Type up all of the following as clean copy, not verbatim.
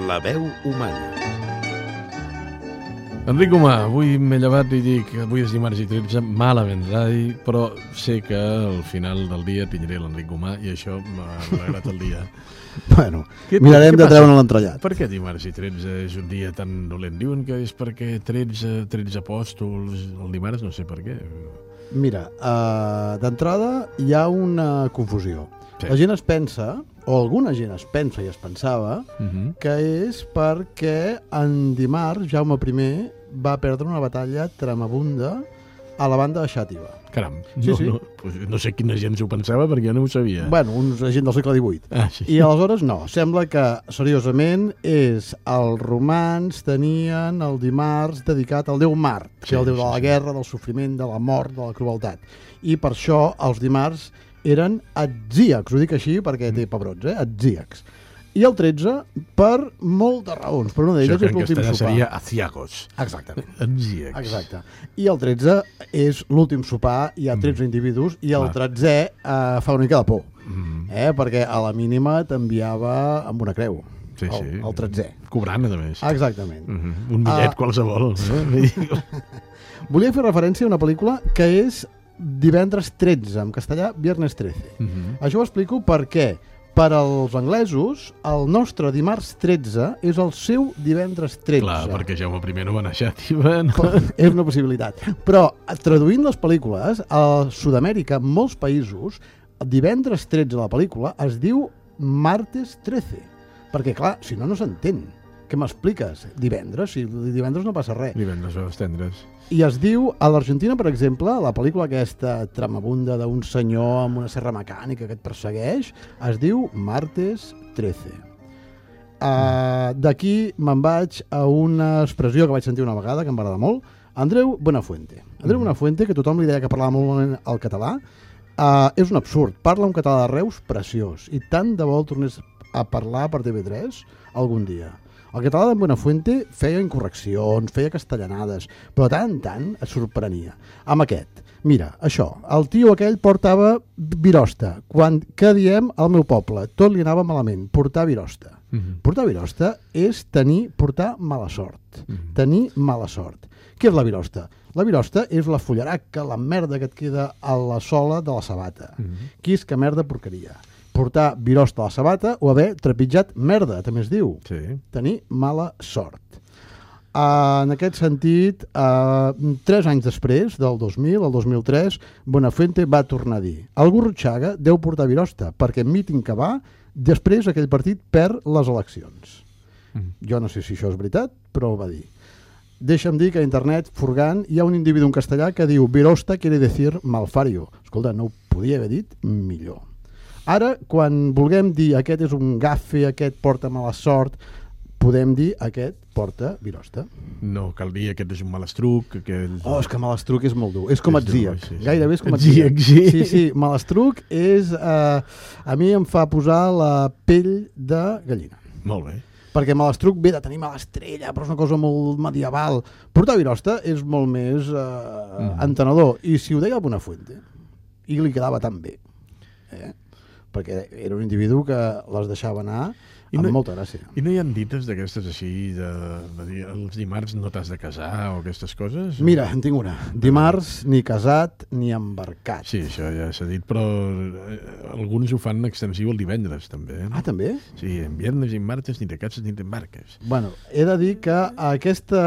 La veu humana. Enric Humà, avui m'he llevat i dic avui és dimarts i 13, malament rai, però sé que al final del dia tindré l'Enric Humà i això m'ha alegrat el dia. Bueno, mirarem de treure'n l'entrellat. Per què dimarts i 13 és un dia tan dolent? Diuen que és perquè 13 apòstols el dimarts, no sé per què. Mira, d'entrada hi ha una confusió. Sí. La gent es pensa, o alguna gent es pensa i es pensava, que és perquè en dimarts Jaume I va perdre una batalla tremabunda a la banda de Xàtiva. Caram, Sí, sí. No sé quina gent s'ho pensava perquè jo no ho sabia. Bueno, uns gent del segle XVIII. Ah, sí. I aleshores no, sembla que seriosament els romans tenien el dimarts dedicat al déu Mart, que és el déu de la guerra, del sofriment, de la mort, de la crueltat. I per això els dimarts eren atzíacs, ho dic així perquè té pebrots, atzíacs. I el 13 per moltes raons, però una d'elles és l'últim sopar. Seria aciagos. Exactament. Atzíacs. Exacte. I el 13 és l'últim sopar, hi ha 13 individus, i el 13è fa una mica de por, perquè a la mínima t'enviava amb una creu, Sí. el 13è. Cobrant, a més. Exactament. Un bitllet qualsevol. Volia fer referència a una pel·lícula que és Divendres 13, en castellà Viernes 13. Això ho explico perquè per als anglesos el nostre dimarts 13 és el seu divendres 13. Clar, perquè Jaume I no va anar a Xàtiva. És una possibilitat. Però traduint les pel·lícules, a Sud-amèrica, en molts països, el divendres 13 de la pel·lícula es diu martes 13. Perquè, clar, si no, no s'entén. Què m'expliques? Divendres? Si divendres no passa res. Divendres o tendres. I es diu, a l'Argentina, per exemple, la pel·lícula aquesta tremabunda d'un senyor amb una serra mecànica que et persegueix, es diu Martes 13. D'aquí me'n vaig a una expressió que vaig sentir una vegada, que em va agradar molt, Andreu Buenafuente. Andreu Buenafuente, que tothom li deia que parlava molt malament el català, és un absurd. Parla un català de Reus preciós. I tant de bo el tornés a parlar per TV3 algun dia. El català de Buenafuente feia incorreccions, feia castellanades, però tant en tant et sorprenia. Amb aquest, mira, això, el tio aquell portava virosta. Què diem al meu poble? Tot li anava malament, portar virosta. Portar virosta és portar mala sort. Tenir mala sort. Què és la virosta? La virosta és la fullaraca, la merda que et queda a la sola de la sabata. Quisca merda porqueria. Portar virosta a la sabata o haver trepitjat merda, també es diu. Sí. Tenir mala sort. En aquest sentit, 3 anys després, del 2000 al 2003, Buenafuente va tornar a dir: el Gurruchaga deu portar virosta, perquè en míting que va, després aquell partit perd les eleccions. Jo no sé si això és veritat, però ho va dir. Deixa'm dir que a internet, furgant, hi ha un individu en castellà que diu virosta quiere decir malfario. Escolta, no ho podia haver dit millor. Ara, quan vulguem dir aquest és un gafe, aquest porta mala sort, podem dir aquest porta virosta. No, cal dir aquest és un malastruc. És que malastruc és molt dur. És com atzíac. Sí. Gairebé és com atzíac. Sí, malastruc és... a mi em fa posar la pell de gallina. Molt bé. Perquè malastruc ve de tenir mala estrella, però és una cosa molt medieval. Portar virosta és molt més entenedor. I si ho deia el Buenafuente, i li quedava tan bé, perquè era un individu que les deixava anar amb molta gràcia. I no hi ha dites d'aquestes així, de dir els dimarts no t'has de casar o aquestes coses? Mira, en tinc una. Dimarts ni casat ni embarcat. Sí, això ja s'ha dit, però alguns ho fan extensiu el divendres, també. Ah, també? Sí, en viernes i en martes ni te cases ni t'embarques. Bueno, he de dir que aquesta,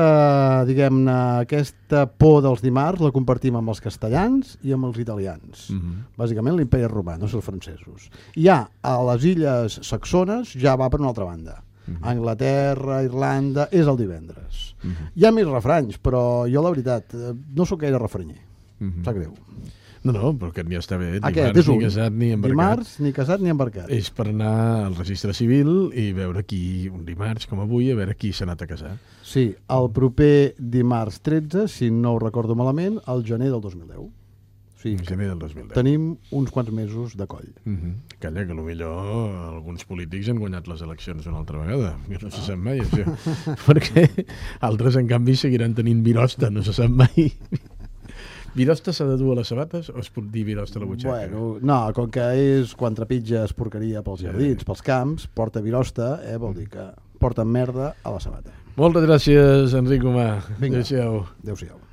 diguem-ne, aquesta por dels dimarts la compartim amb els castellans i amb els italians. Bàsicament l'imperi romà, no són els francesos. Ja a les illes saxones ja va per una altra banda. Anglaterra, Irlanda, és el divendres. Hi ha més refranys, però jo la veritat no sóc gaire refranyer. Sap greu. No, però aquest ja està bé. Dimarts ni casat ni embarcat. Dimarts ni casat ni embarcat. És per anar al registre civil i veure qui, un dimarts com avui, a veure qui s'ha anat a casar. Sí, el proper dimarts 13, si no ho recordo malament, el gener del 2010. Sí, gener del 2010. Tenim uns quants mesos de coll. Calla, que potser alguns polítics han guanyat les eleccions una altra vegada, que no se sap mai, això. Perquè altres, en canvi, seguiran tenint virosta, no se sap mai. Virosta s'ha de dur a les sabates o es pot dir virosta a la butxaca? Bueno, no, com que és quan trepitges porqueria pels jardins, pels camps, porta virosta, vol dir que porten merda a la sabata. Moltes gràcies, Enric Humà. Vinga. Adéu-siau. Adéu-siau.